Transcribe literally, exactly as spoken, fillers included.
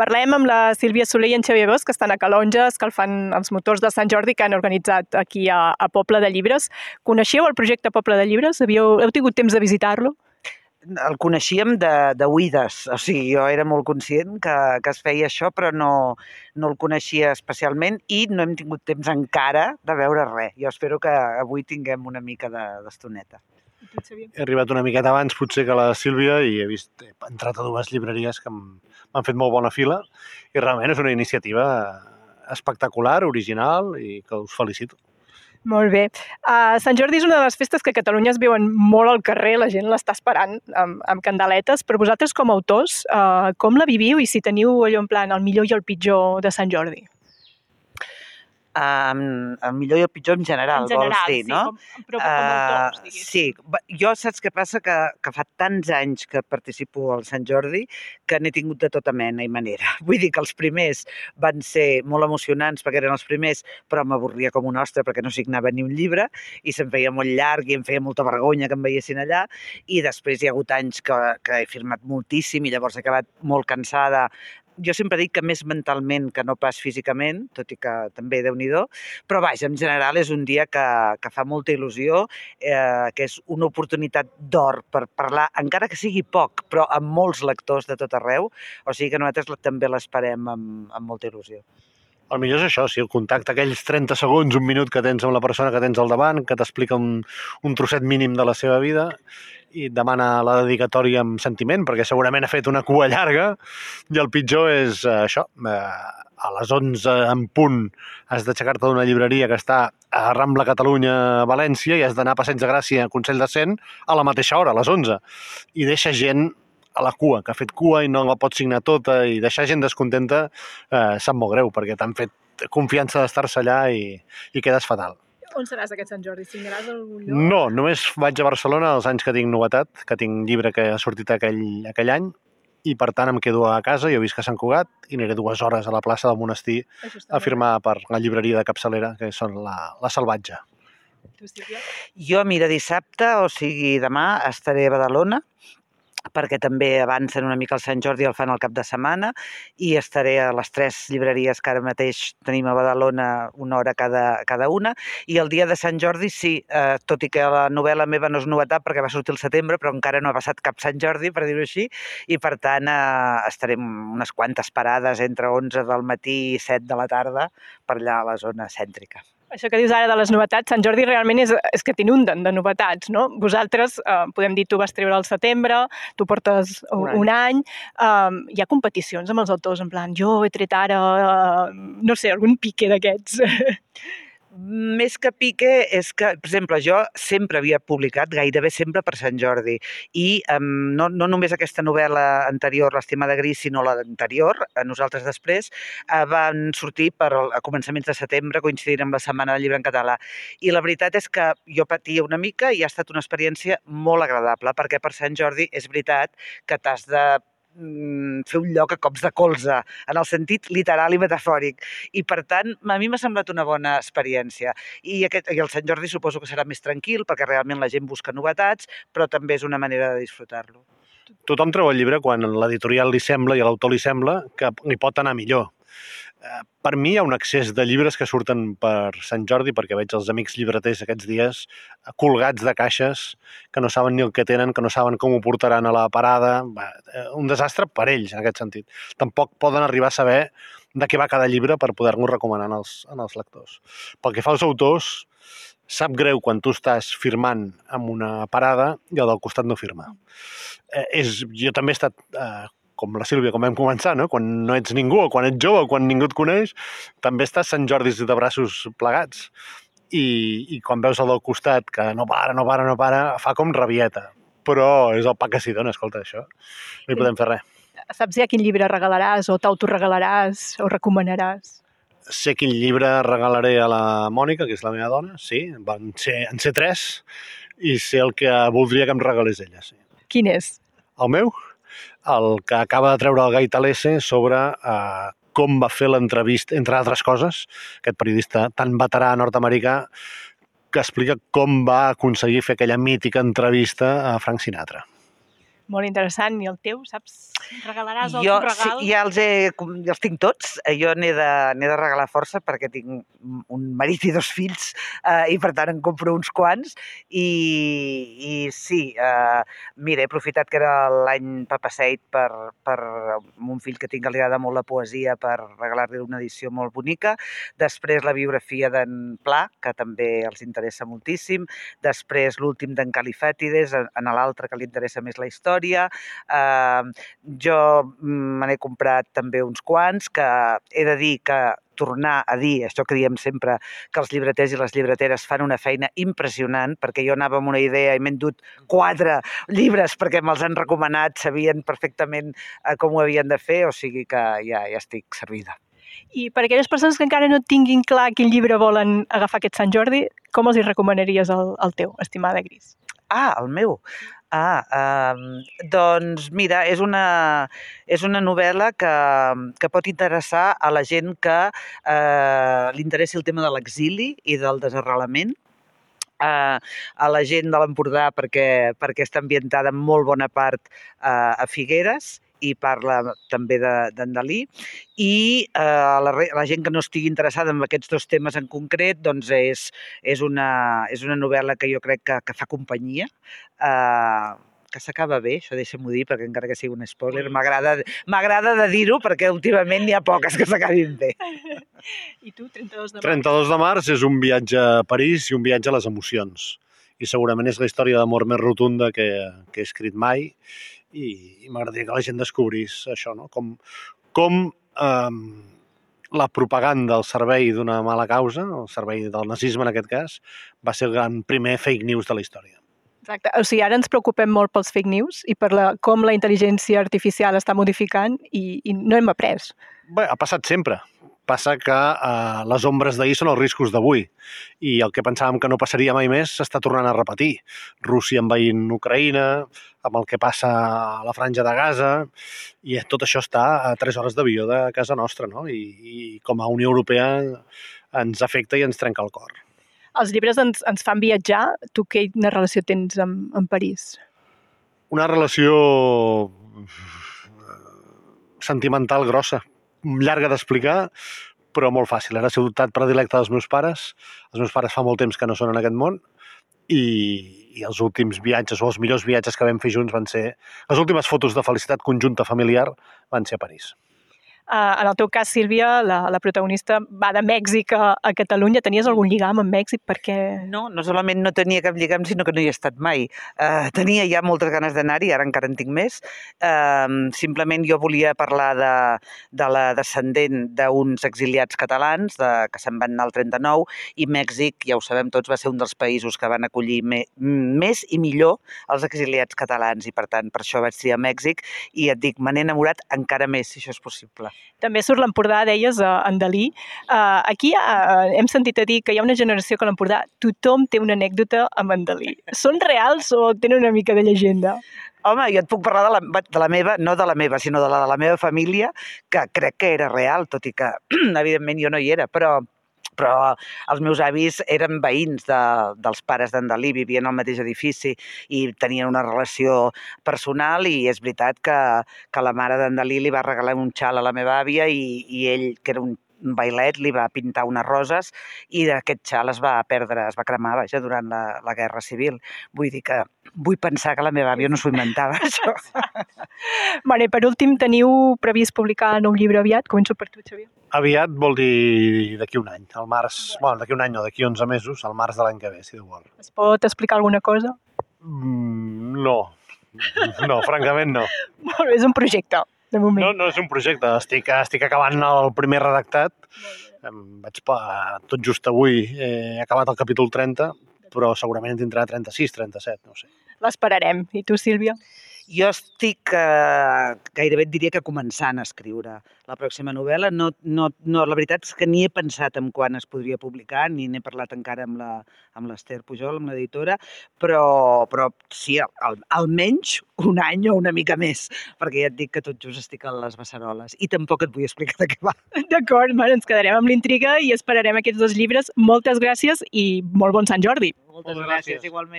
Parlem amb la Sílvia Soler i en Xavier Bosch, que estan a Calonge, escalfant els motors de Sant Jordi que han organitzat aquí a, a Poble de Llibres. Coneixeu el projecte Poble de Llibres? Havíeu, heu tingut temps de visitar-lo? El coneixíem de, de oïdes, o sigui, jo era molt conscient que, que es feia això, però no, no el coneixia especialment i no hem tingut temps encara de veure res. Jo espero que avui tinguem una mica d'estoneta. He arribat una miqueta abans potser que la Sílvia i he vist, he entrat a dues llibreries que m'han fet molt bona fila i realment és una iniciativa espectacular, original i que us felicito. Molt bé. Uh, Sant Jordi és una de les festes que a Catalunya es viuen molt al carrer, la gent l'està esperant amb, amb candeletes, però vosaltres com a autors, uh, com la viviu i si teniu allò en plan el millor i el pitjor de Sant Jordi? Um, el millor i el pitjor en general, en general vols dir, sí, no? Com, però com a autors, diguéssim. Uh, sí, jo saps què passa? Que, que fa tants anys que participo al Sant Jordi que n'he tingut de tota mena i manera. Vull dir que els primers van ser molt emocionants perquè eren els primers, però m'avorria com un ostre perquè no signava ni un llibre i se'm feia molt llarg i em feia molta vergonya que em veiessin allà. I després hi ha hagut anys que, que he firmat moltíssim i llavors he acabat molt cansada. Jo sempre dic que més mentalment que no pas físicament, tot i que també Déu-n'hi-do, però vaja, en general és un dia que, que fa molta il·lusió, eh, que és una oportunitat d'or per parlar, encara que sigui poc, però amb molts lectors de tot arreu, o sigui que nosaltres també l'esperem amb, amb molta il·lusió. El millor és això, sí, el contacte, aquells trenta segons, un minut que tens amb la persona que tens al davant, que t'explica un, un trosset mínim de la seva vida i et demana la dedicatòria amb sentiment, perquè segurament ha fet una cua llarga, i el pitjor és eh, això, eh, a les onze en punt has d'aixecar-te d'una llibreria que està a Rambla Catalunya, a València, i has d'anar a Passeig de Gràcia, a Consell de Cent, a la mateixa hora, a les onze, i deixa gent a la cua, que ha fet cua i no la pot signar tota, i deixar gent descontenta eh, sap molt greu, perquè t'han fet confiança d'estar-se allà i, i quedes fatal. On seràs aquest Sant Jordi? Signaràs algun lloc? No, només vaig a Barcelona els anys que tinc novetat, que tinc llibre que ha sortit aquell, aquell any, i per tant em quedo a casa, jo visc a Sant Cugat, i aniré dues hores a la plaça del Monestir a firmar per la llibreria de capçalera, que són la, la Salvatge. Jo, mira, dissabte, o sigui demà, estaré a Badalona, perquè també avancen una mica el Sant Jordi, el fan al cap de setmana, i estaré a les tres llibreries que ara mateix tenim a Badalona una hora cada, cada una, i el dia de Sant Jordi sí, eh, tot i que la novel·la meva no és novetat perquè va sortir al setembre, però encara no ha passat cap Sant Jordi, per dir-ho així, i per tant eh, estarem unes quantes parades entre onze del matí i set de la tarda per allà a la zona cèntrica. Això que dius ara de les novetats, Sant Jordi realment és, és que t'inunden de novetats, no? Vosaltres, eh, podem dir, tu vas treure al setembre, tu portes un, un any, eh, hi ha competicions amb els autors, en plan, jo he tret ara, eh, no sé, algun pique d'aquests. Més que pique és que, per exemple, jo sempre havia publicat, gairebé sempre per Sant Jordi, i um, no, no només aquesta novel·la anterior, L'estimada gris, sinó l'anterior, nosaltres després, uh, van sortir per, a començaments de setembre, coincidint amb la Setmana del Llibre en Català. I la veritat és que jo patia una mica i ha estat una experiència molt agradable, perquè per Sant Jordi és veritat que t'has de fer un lloc a cops de colze, en el sentit literal i metafòric. I, per tant, a mi m'ha semblat una bona experiència. I, aquest, i el Sant Jordi suposo que serà més tranquil, perquè realment la gent busca novetats, però també és una manera de disfrutar-lo. Tothom treu el llibre quan l'editorial li sembla i a l'autor li sembla que li pot anar millor. Per mi hi ha un excés de llibres que surten per Sant Jordi, perquè veig els amics llibreters aquests dies colgats de caixes que no saben ni el que tenen, que no saben com ho portaran a la parada. Un desastre per ells, en aquest sentit. Tampoc poden arribar a saber de què va cada llibre per poder-nos recomanar als, als lectors. Pel que fa als autors, sap greu quan tu estàs firmant amb una parada i el del costat no firma. Eh, és, jo també he estat... Eh, com la Sílvia, com vam començar, no? Quan no ets ningú, o quan ets jove, o quan ningú et coneix, també estàs Sant Jordis de braços plegats. I, i quan veus el del costat, que no para, no para, no para, fa com rabieta. Però és el pa que s'hi dona, escolta, això. No hi podem fer res. Saps ja quin llibre regalaràs, o t'autoregalaràs, o recomanaràs? Sé quin llibre regalaré a la Mònica, que és la meva dona, sí, van ser, en ser tres, i sé el que voldria que em regalés ella, sí. Quin és? El meu? El que acaba de treure el Gai Talese sobre eh, com va fer l'entrevista, entre altres coses, aquest periodista tan veterà nord-americà que explica com va aconseguir fer aquella mítica entrevista a Frank Sinatra. Molt interessant. I el teu, saps? Regalaràs el Jo, teu regal? Sí, ja els, he, ja els tinc tots. Jo n'he de, n'he de regalar força perquè tinc un marit i dos fills eh, i per tant en compro uns quants. I, i sí, eh, mira, he aprofitat que era l'any Papaseit per, per un fill que tinc que li agrada molt la poesia per regalar-li una edició molt bonica. Després la biografia d'en Pla, que també els interessa moltíssim. Després l'últim d'en Califàtides, en l'altre que li interessa més la història. Uh, jo me n'he comprat també uns quants, que he de dir que tornar a dir, això que diem sempre, que els llibreters i les llibreteres fan una feina impressionant, perquè jo anava amb una idea i m'he endut quatre llibres perquè me'ls han recomanat, sabien perfectament com ho havien de fer, o sigui que ja, ja estic servida. I per aquelles persones que encara no tinguin clar quin llibre volen agafar aquest Sant Jordi, com els hi recomanaries el, el teu, estimada Gris? Ah, el meu? Ah, eh, doncs mira, és una, és una novel·la que, que pot interessar a la gent que eh, li interessi el tema de l'exili i del desarrelament, eh, a la gent de l'Empordà perquè, perquè està ambientada en molt bona part eh, a Figueres i parla també d'en Dalí, i eh, la, la gent que no estigui interessada en aquests dos temes en concret, doncs és, és, una, és una novel·la que jo crec que, que fa companyia, eh, que s'acaba bé, això deixa'm-ho dir, perquè encara que sigui un spoiler, m'agrada de dir-ho, perquè últimament n'hi ha poques que s'acabin bé. I tu, trenta-dos de març? trenta-dos de març és un viatge a París i un viatge a les emocions. I segurament és la història d'amor més rotunda que, que he escrit mai, i, i m'agradaria que la gent descobrís això, no? Com, com eh, la propaganda al servei d'una mala causa, el servei del nazisme en aquest cas, va ser el gran primer fake news de la història. Exacte. O sigui, ara ens preocupem molt pels fake news i per la, com la intel·ligència artificial està modificant i, i no hem après. Bé, ha passat sempre. Passa que eh, les ombres d'ahir són els riscos d'avui i el que pensàvem que no passaria mai més s'està tornant a repetir. Rússia envaint Ucraïna, amb el que passa a la franja de Gaza, i tot això està a tres hores d'avió de casa nostra, no? I, i com a Unió Europea ens afecta i ens trenca el cor. Els llibres ens, ens fan viatjar. Tu quina relació tens amb, amb París? Una relació sentimental grossa, llarga d'explicar, però molt fàcil. Era la ciutat predilecta dels meus pares. Els meus pares fa molt temps que no són en aquest món i, i els últims viatges, o els millors viatges que vam fer junts van ser... Les últimes fotos de felicitat conjunta familiar van ser a París. Uh, en el teu cas, Sílvia, la, la protagonista va de Mèxic a, a Catalunya. Tenies algun lligam amb Mèxic? Perquè... No, no solament no tenia cap lligam, sinó que no hi he estat mai. Uh, tenia ja moltes ganes d'anar-hi, ara encara en tinc més. Uh, simplement jo volia parlar de, de la descendent d'uns exiliats catalans de, que se'n van anar al trenta-nou, i Mèxic, ja ho sabem tots, va ser un dels països que van acollir me, més i millor els exiliats catalans, i per tant, per això vaig triar Mèxic, i et dic, me n'he enamorat encara més, si això és possible. També surt l'Empordà, deies, en Dalí. Uh, aquí uh, hem sentit a dir que hi ha una generació que a l'Empordà tothom té una anècdota amb en Dalí. Són reals o tenen una mica de llegenda? Home, jo et puc parlar de la, de la meva, no de la meva, sinó de la de la meva família, que crec que era real, tot i que, evidentment, jo no hi era, però... però els meus avis eren veïns de, dels pares d'en Dalí, vivien al mateix edifici i tenien una relació personal, i és veritat que, que la mare d'en Dalí li va regalar un xal a la meva àvia i, i ell, que era un bailet, li va pintar unes roses i d'aquest xal es va perdre, es va cremar, vaja, durant la, la Guerra Civil. Vull dir que vull pensar que la meva àvia no s'ho inventava, això. Bueno, i per últim, teniu previst publicar un llibre aviat? Començo per tu, Xavier. Aviat vol dir d'aquí un any, al març, bueno, d'aquí un any no, d'aquí onze mesos, al març de l'any que ve, si Déu vol. Es pot explicar alguna cosa? Mm, no, no, francament no. Molt bé, és un projecte, de moment. No, no és un projecte, estic, estic acabant el primer redactat, vaig tot just avui, he acabat el capítol trenta, però segurament en tindrà trenta-sis, trenta-set, no sé. L'esperarem. I tu, Sílvia? Jo estic, eh, gairebé et diria que començant a escriure la pròxima novel·la. No, no, no, la veritat és que ni he pensat en quan es podria publicar, ni n'he parlat encara amb la, amb l'Ester Pujol, amb l'editora, però, però sí, al, almenys un any o una mica més, perquè ja et dic que tot just estic a les beceroles i tampoc et vull explicar de què va. D'acord, bueno, ens quedarem amb l'intriga i esperarem aquests dos llibres. Moltes gràcies i molt bon Sant Jordi. Moltes gràcies, igualment.